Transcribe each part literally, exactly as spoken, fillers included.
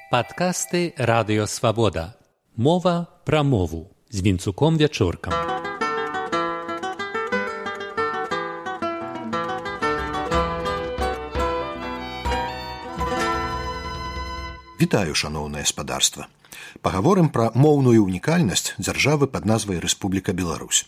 Падкасты Радыё Свабода. Мова пра мову з Вінцуком Вячоркам. Вітаю, шаноўнае спадарства. Пагаворым пра моўную ўнікальнасць дзяржавы пад назвай Рэспубліка Беларусь,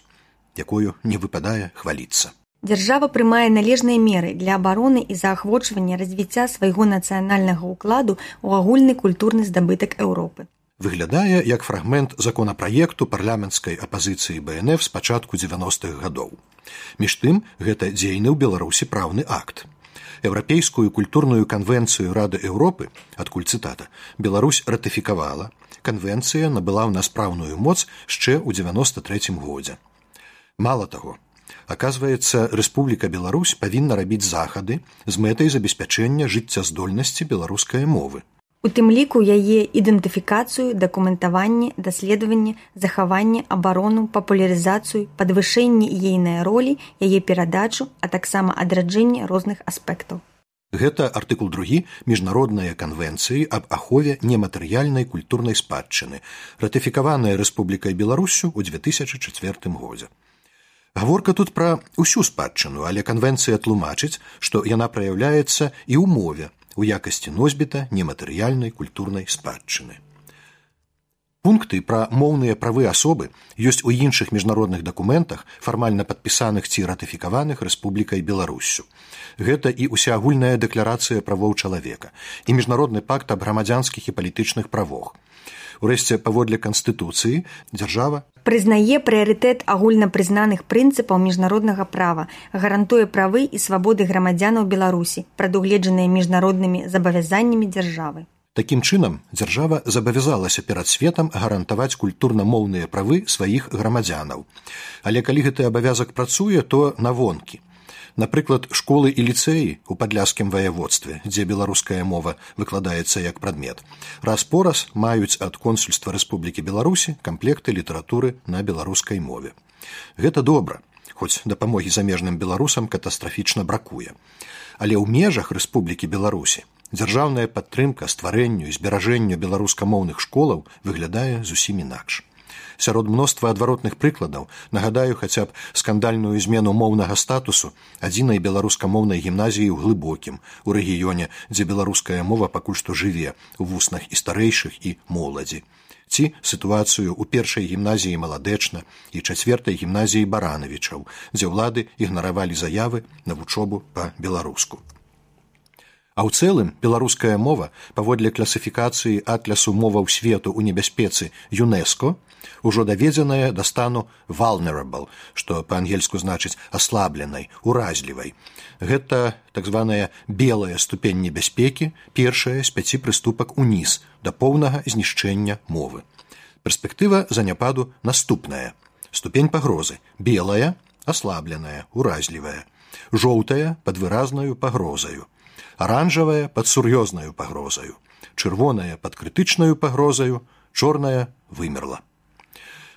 якою не выпадае хваліцца. Дзяржава прымае належныя меры для абароны і заахвочвання развіцця свайго нацыянальнага ўкладу ў агульны культурны здабытак Еўропы. Выглядае як фрагмент законапраекту парламенцкай апазіцыі Бэ Эн Эф з пачатку дзевяностых гадоў. Між тым, гэта дзейны ў Беларусі праўны акт. Еўрапейскую культурную канвенцыю Рады Еўропы, адкуль цытата, Беларусь ратыфікавала, канвенцыя набыла ў нас праўную моц яшчэ ў дзевяноста трэцім годзе. Мала таго, аказваецца, Рэспубліка Беларусь павінна рабіць захады з мэтай забеспячэння жыццяздольнасці беларускай мовы. У тым ліку яе ідэнтыфікацыю, дакументаванне, даследаванне, захаванне, абарону, папулярызацыю, падвышэнне ейнай ролі, яе перадачу, а таксама адраджэнне розных аспектаў. Гэта артыкул другі міжнароднай канвенцыі аб ахове нематэрыяльнай культурнай спадчыны, ратыфікаваная Рэспублікай Беларусю ў дзве тысячы чацвёртым годзе. Гаворка тут пра ўсю спадчыну, але канвенцыя тлумачыць, што яна праяўляецца і ў мове, у якасці носьбіта нематэрыяльнай культурнай спадчыны. Пункты пра моўныя правы асобы ёсць у іншых міжнародных дакументах, фармальна падпісаных ці ратыфікаваных Рэспублікай Беларуссю. Гэта і ўсеагульная дэкларацыя правоў чалавека, і міжнародны пакт аб грамадзянскіх і палітычных правах. Урэшце, паводле Канстытуцыі, дзяржава прызнае прыярытэт агульнапрызнаных прынцыпаў міжнароднага права, гарантуе правы і свабоды грамадзянаў Беларусі, прадугледжаныя міжнароднымі забавязаннямі дзяржавы. Такім чынам, дзяржава забавязалася перад светам гарантаваць культурна-моўныя правы сваіх грамадзянаў. Але калі гэты абавязак працуе, то навонкі. Напрыклад, школы і ліцэі ў падляшскім ваяводстве, дзе беларуская мова выкладаецца як прадмет, раз-пораз маюць ад консульства Рэспублікі Беларусі камплекты літаратуры на беларускай мове. Гэта добра, хоць дапамогі замежным беларусам катастрафічна бракуе. Але ў межах Рэспублікі Беларусі дзяржаўная падтрымка стварэнню і зберажэнню беларускамоўных школаў выглядае зусім інакш. Сярод мноства адваротных прыкладаў нагадаю хаця б скандальную змену моўнага статусу адзінай беларускамоўнай гімназіі ў Глыбокім, у рэгіёне, дзе беларуская мова пакуль што жыве у вуснах і старэйшых, і моладзі. Ці сітуацыю ў першай гімназіі Маладэчна і чацвёртай гімназіі Баранавічаў, дзе ўлады ігнаравалі заявы на вучобу па-беларуску. А ў цэлым, беларуская мова, паводле класіфікацыі атлясу моваў свету ў небяспецы ЮНЕСКО, ужо даведзеная да стану vulnerable, што па-ангельску значыць аслабленай, уразлівай. Гэта так званая белая ступень небяспекі, першая з пяці прыступак уніз да поўнага знішчэння мовы. Перспектыва заняпаду наступная. Ступень пагрозы белая, аслабленая, уразлівая. Жоўтая пад выразнаю пагрозаю. Аранжавая пад сур'ёзнаю пагрозаю. Чырвоная пад крытычнаю пагрозаю, чорная вымерла.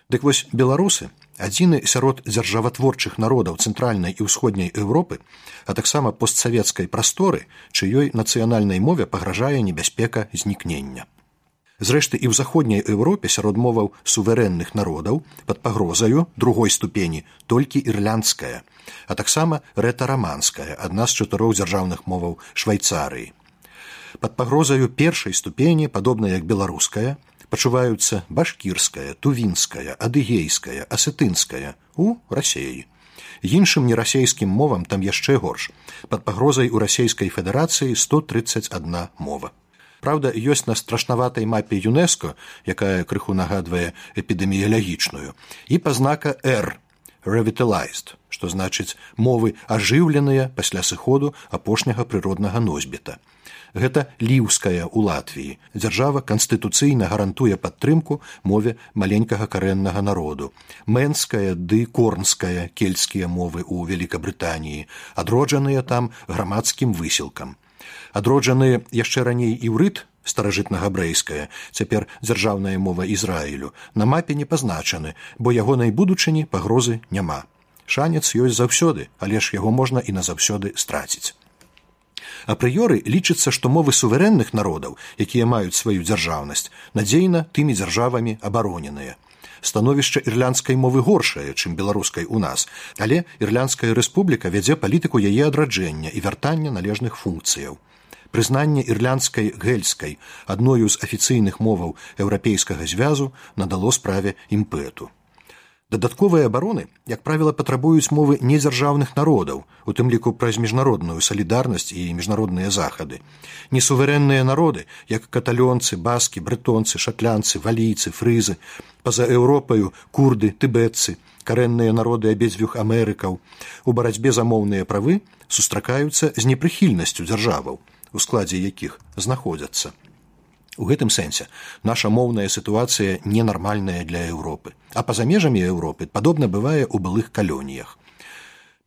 Дык вось беларусы, адзіны сярод дзяржаватворчых народаў цэнтральнай і ўсходняй Еўропы, а таксама постсавецкай прасторы, чыёй нацыянальнай мове пагражае небяспека знікнення. Зрэшты, і ў заходняй Еўропе сярод моваў суверэнных народаў пад пагрозаю другой ступені толькі ірландская, а таксама рэтараманская, адна з чатырох дзяржаўных моваў Швайцарыі. Пад пагрозаю першай ступені, падобна як беларуская, пачуваюцца башкірская, тувінская, адыгейская, асетынская у Расеі. Іншым нерасейскім мовам там яшчэ горш. Пад пагрозай у Расейскай Федэрацыі сто трыццаць адна мова. Праўда, ёсць на страшнаватай мапе ЮНЕСКО, якая крыху нагадвае эпідэміялагічную, і пазнака Р – revitalized, што значыць мовы ажыўленыя пасля сыходу апошняга прыроднага носьбіта. Гэта ліўская ў Латвіі. Дзяржава канстытуцыйна гарантуе падтрымку мове маленькага карэннага народу. Мэнская ды корнская кельцкія мовы ў Великабрытаніі, адроджаныя там грамадскім высілкам. Адроджаныя яшчэ раней іўрыт, старажытнагабрэйская, цяпер дзяржаўная мова Ізраілю, на мапе не пазначаны, бо ягонай будучыні пагрозы няма. Шанец ёсць заўсёды, але ж яго можна і назаўсёды страціць. Апрыёры лічыцца, што мовы суверэнных народаў, якія маюць сваю дзяржаўнасць, надзейна тымі дзяржавамі абароненыя. Становішча ірландскай мовы горшае, чым беларускай у нас, але Ірландская рэспубліка вядзе палітыку яе адраджэння і вяртання належных функцыяў. Прызнанне ірландскай гельскай, адною з афіцыйных моваў еўрапейскага звязу, надало справе імпэту. Дадатковыя абароны, як правіла, патрабуюць мовы недзяржаўных народаў, у тым ліку праз міжнародную салідарнасць і міжнародныя захады. Несуверэнныя народы, як каталёнцы, баскі, брэтонцы, шатлянцы, валійцы, фрызы, па-за Еўропаю курды, тыбетцы, карэнныя народы абедзвюх Амерыкаў, у барацьбе за моўныя правы сустракаюцца з непрыхільнасцю дзяржаваў, у складзе якіх знаходзяцца. У гэтым сэнсе наша моўная сітуацыя ненармальная для Еўропы, а па-за межамі Еўропы падобна бывае ў былых калоніях.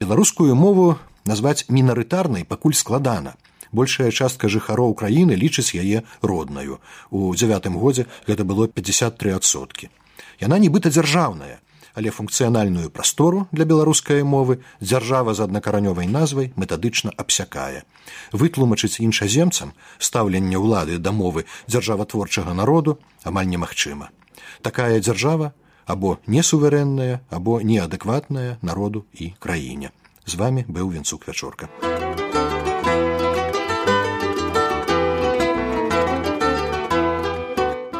Беларускую мову назваць мінарытарнай пакуль складана. Большая частка жыхароў краіны лічыць яе роднаю. У дзявятым годзе гэта было пятьдесят три адсоткі. Яна нібыта дзяржаўная, але функцыянальную прастору для беларускай мовы дзяржава з аднакаранёвай назвай метадычна абсякае. Вытлумачыць іншаземцам стаўленне ўлады да мовы дзяржаватворчага народу амаль немагчыма. Такая дзяржава або несуверэнная, або неадэкватная народу і краіне. З вами быў Вінцук Вячорка.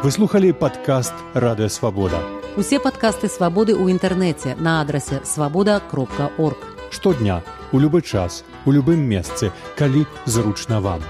Вы слухали падкаст «Радыё Свабода». Усе падкасты «Свабоды» ў інтэрнэце на адрасе свабода кропка орг. Штодня, у любы час, у любым месцы, калі зручна вам.